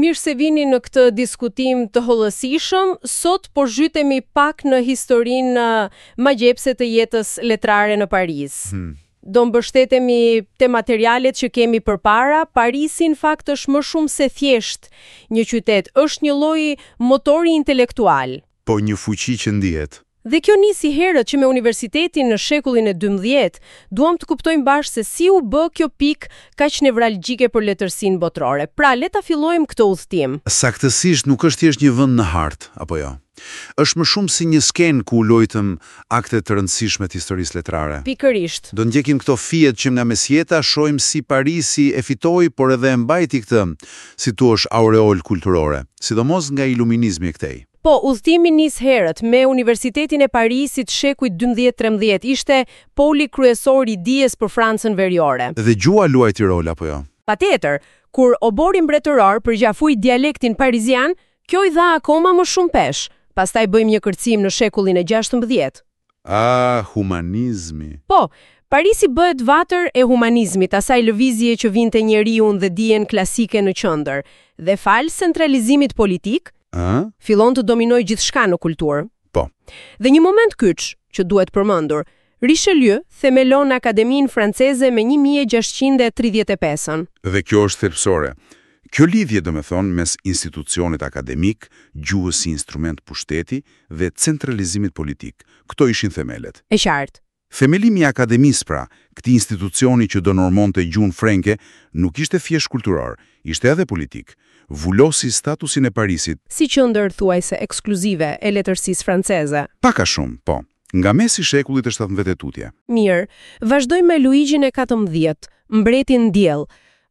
Mirë se vini në këtë diskutim të hollësishëm. Sot po zhytemi pak në historinë magjepse të jetës letrare në Paris. Do mbështetemi te materialet që kemi përpara. Parisi në fakt është më shumë se thjesht një qytet, është një lloj motori intelektual. Po një fuqi që ndihet. Dhe kjo nisi herët që me universitetin në shekullin e 12, duam të kuptojmë bashkë se si u bë kjo pikë kaq nevralgjike për letërsinë botërore. Pra, le ta fillojmë këtë udhëtim. Saktësisht nuk është thjesht një vend në hartë, apo jo? Është më shumë si një skenë ku u luajtën akte të rëndësishme të historisë letrare. Pikërisht. Do ndjekim këto fijet që nga mesjeta, shohim si Parisi e fitoi, por edhe e mbajti këtë, si thuash, aureol kulturore, sidomos nga iluminizmi e këtej. Po, udhëtimi nis herët me Universitetin e Parisit shekujt 12-13, ishte poli kryesor i dijes për Francën veriore. Dhe gjuha luajti rol apo jo? Patjetër, kur oborri mbretëror përqafoi dialektin parizian, kjo i dha akoma më shumë peshë. Pastaj bëjmë një kërcim në shekullin e 16. Ah, humanizmi. Po, Parisi bëhet vatër e humanizmit, asaj lëvizje që vinte njeriun dhe dijen klasike në qendër. Dhe falë centralizimit politik, Ë? fillon të dominojë gjithçka në kulturë. Po. Dhe një moment kyç që duhet përmendur, Richelieu themelon Akademinë Franceze me 1635-ën. Dhe kjo është thelbësore. Kjo lidhje, do me thonë, mes institucionit akademik, gjuhës si instrument pushteti dhe centralizimit politik. Këto ishin themelet. E qartë. Themelimi i akademisë pra, këtij institucioni që do normonte gjuhën frenke, nuk ishte thjesht kulturor, ishte edhe politik. Vulosi statusin e Parisit, Si qendër thuajse ekskluzive e letërsisë franceze. pak a shumë, po, nga mesi i shekullit të 17 e tutje. Mirë, vazhdojmë me Luigjin e 14, mbretin diell.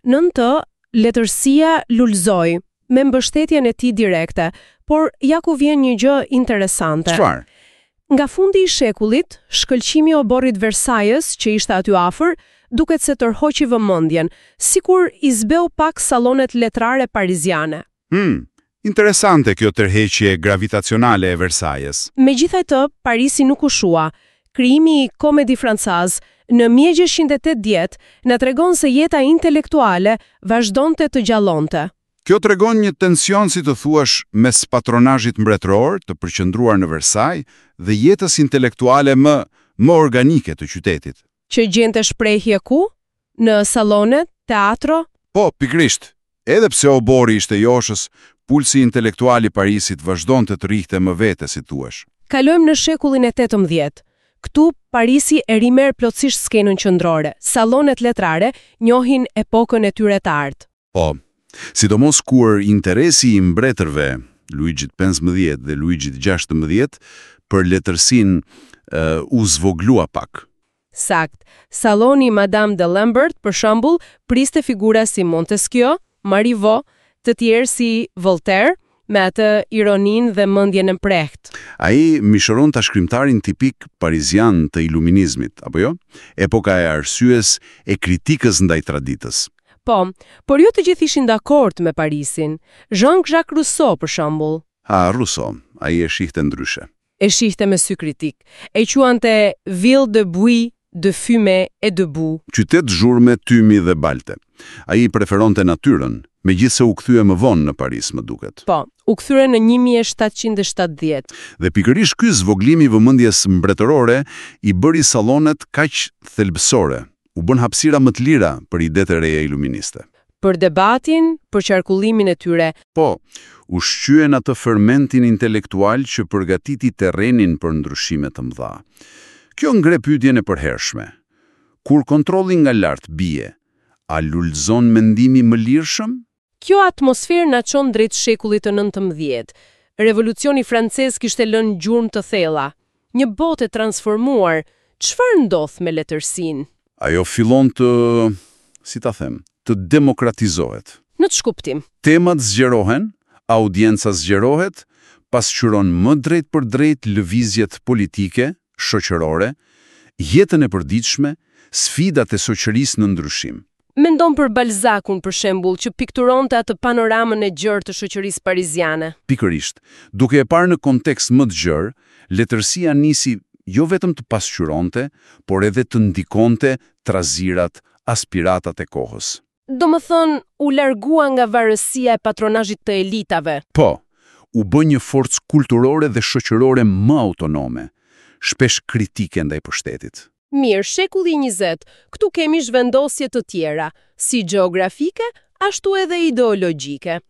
Nën të, letërsia lulëzoi me mbështetjen e tij direkte, por ja ku vjen një gjë interesante. Çfarë? Nga fundi i shekullit, shkëlqimi i oborrit Versajës, që ishte aty afër, duket se tërhoqi vëmendjen, sikur i zbeu pak sallonet letrare pariziane. Interesante kjo tërheqje gravitacionale e Versajës. Megjithatë, Parisi nuk u shua. Krijimi i Comédie Française në 1680 na tregon se jeta intelektuale vazhdonte të gjallonte. Kjo tregon një tension, si të thuash, mes patronazhit mbretëror të përqendruar në Versaj dhe jetës intelektuale më më organike të qytetit. Që gjente shprehje ku? Në sallone, teatro? Po, pikërisht. Edhe pse oborri ishte joshës, pulsi intelektual i Parisit vazhdonte të rrihte më vete, si thuash. Kalojmë në shekullin e 18. Këtu Parisi e rimerr plotësisht skenën qendrore. Sallonet letrare njohin epokën e tyre të artë. Po, sidomos kur interesi i mbretërve, Luigjit 15 dhe Luigjit 16, për letërsinë u zvoglua pak. Sakt. Salloni i Madame de Lambert, për shembull, priste figura si Montesquieu, Marivaux, të tjerë si Voltaire, me atë ironinë dhe mendjen e mprehtë. Ai mishëron ta shkrimtarin tipik parizian të iluminizmit, apo jo? Epoka e arsyes e kritikës ndaj traditës. Po, por jo të gjithë ishin dakord me Parisin. Jean-Jacques Rousseau, për shembull, Ha, Rousseau, ai e shihte ndryshe. e shihte me sy kritik. E quante ville de bruit, de fumée et de boue. Qytet zhurme, tymi dhe balte. Ai preferonte natyrën, megjithëse u kthye më vonë në Paris, më duket. Po, u kthye në 1770. Dhe pikërisht ky zvoglim i vëmendjes mbretërore i bëri sallonet kaq thelbësore, u bën hapësira më të lira për idetë e reja iluministe. Për debatin, për qarkullimin e tyre, Po, ushqyen atë fermentin intelektual që përgatiti terrenin për ndryshime të mëdha. Kjo ngre pyetjen e përhershme. Kur kontrolli nga lart bie, a lulëzon mendimi më lirshëm? Kjo atmosferë na çon drejt shekullit të 19. Revolucioni francez kishte lënë gjurmë të thella. Një botë e transformuar. Çfarë ndodh me letërsinë? Ajo fillon të, si ta them, të demokratizohet. Në ç'kuptim? Temat zgjerohen, audienca zgjerohet, pasqyron më drejt për drejt lëvizjet politike, shoqërore, jetën e përditshme, sfidat e shoqërisë në ndryshim. Mendon për Balzakun, për shembull, që pikturonte atë panoramën e gjerë të shoqërisë pariziane. Pikërisht, duke e parë në kontekst më të gjerë, letërsia nisi jo vetëm të pasqyronte, por edhe të ndikonte trazirat, aspiratat e kohës. Do më thënë, u largua nga varësia e patronazhit të elitave. Po, u bë një forcë kulturore dhe shoqërore më autonome, shpesh kritike ndaj pushtetit. Mirë, shekulli 20, këtu kemi zhvendosje të tjera, si gjeografike, ashtu edhe ideologjike.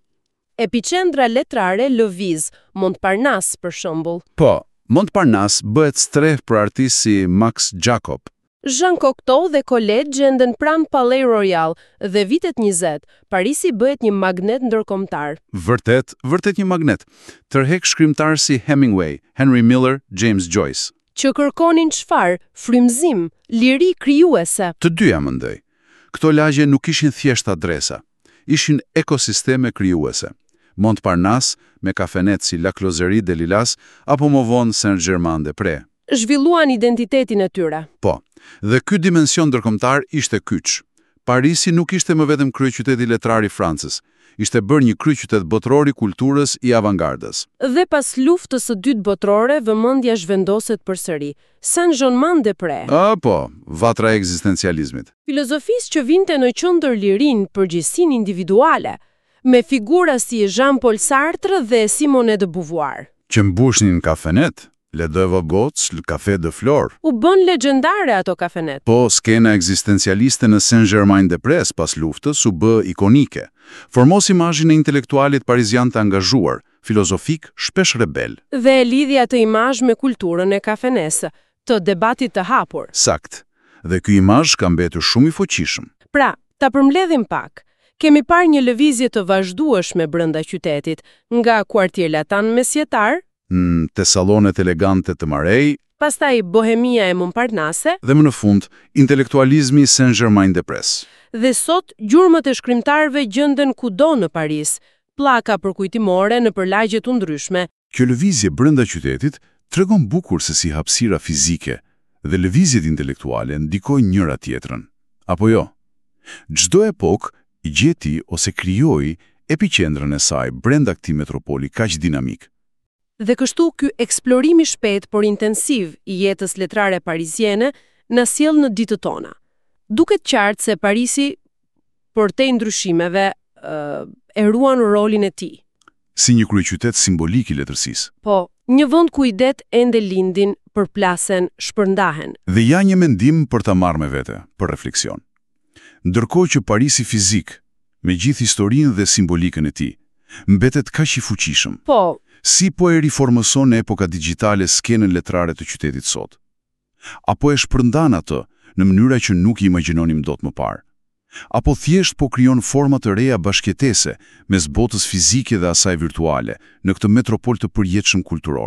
Epiqendra letrare lëviz, Montparnasse për shembull. Po, Montparnasse bëhet strehë për artistë si Max Jacob. Jean Cocteau dhe Colette gjenden pranë Palais Royal dhe vitet 20, Parisi bëhet një magnet ndërkombëtar. Vërtet, vërtet një magnet. Tërheq shkrimtarë si Hemingway, Henry Miller, James Joyce. Që kërkonin çfarë? Frymëzim, liri krijuese. Të dyja mendoj. Këto lagje nuk ishin thjesht adresa, ishin ekosisteme krijuese. Montparnasse me kafenet si La Closerie des Lilas apo më vonë Saint-Germain-des-Prés. Zhvilluan identitetin e tyre. Po, dhe ky dimension ndërkombëtar ishte kyç. Parisi nuk ishte më vetëm kryeqyteti letrar i Francës, ishte bërë një kryeqytet botëror i kulturës i avangardës. Dhe pas luftës së dytë botërore, vëmendja zhvendoset përsëri. Saint-Germain-des-Prés. A, po, vatra e ekzistencializmit. Filozofisë që vinte në qendër lirinë, përgjegjësinë individuale, me figura si Jean-Paul Sartre dhe Simone de Beauvoir. Që mbushnin kafenet, Les Deux Magots, Le Café de Flore. U bën legjendare ato kafenet. Po, skena ekzistencialiste në Saint-Germain-des-Prés pas luftës u bë ikonike. Formos imazhin e intelektualit parizian të angazhuar, filozofik, shpesh rebel. Dhe e lidhi atë imazh me kulturën e kafenesë, të debatit të hapur. Sakt. Dhe ky imazh ka mbetur shumë i fuqishëm. Pra, ta përmbledhim pak. Kemi parë një lëvizje të vazhdueshme brenda qytetit, nga Quartier Latin mesjetar, Te salonet elegante të Marais pastaj Bohemia e Montparnasse, dhe më në fund intelektualizmi i Saint-Germain-des-Prés. Dhe sot gjurmët e shkrimtarëve gjenden kudo në Paris, pllaka përkujtimore nëpër lagje të ndryshme. Kjo lëvizje brenda qytetit tregon bukur se si hapësira fizike dhe lëvizjet intelektuale ndikojnë njëra tjetrën. Apo jo? Çdo epokë gjeti ose krijoi epiqendrën e saj brenda këtij metropoli kaq dinamik. Dhe kështu ky eksplorim i shpejt por intensiv i jetës letrare pariziene na sjell në ditët tona. Duket qartë se Parisi, përtej ndryshimeve, e ruan rolin e tij. Si një kryeqytet simbolik i letërsisë. Po, një vend ku idetë ende lindin, përplasen, shpërndahen. Dhe ja një mendim për ta marrë me vete, për refleksion. Ndërkohë që Parisi fizik, me gjithë historinë dhe simbolikën e tij, mbetet kaq i fuqishëm. Po, Si po e riformëson epoka digjitale skenën letrare të qytetit sot? Apo e shpërndan atë në mënyra që nuk i imagjinonim dot më parë? Apo thjesht po krijon forma të reja bashkëjetese mes botës fizike dhe asaj virtuale në këtë metropol të përjetshëm kulturor?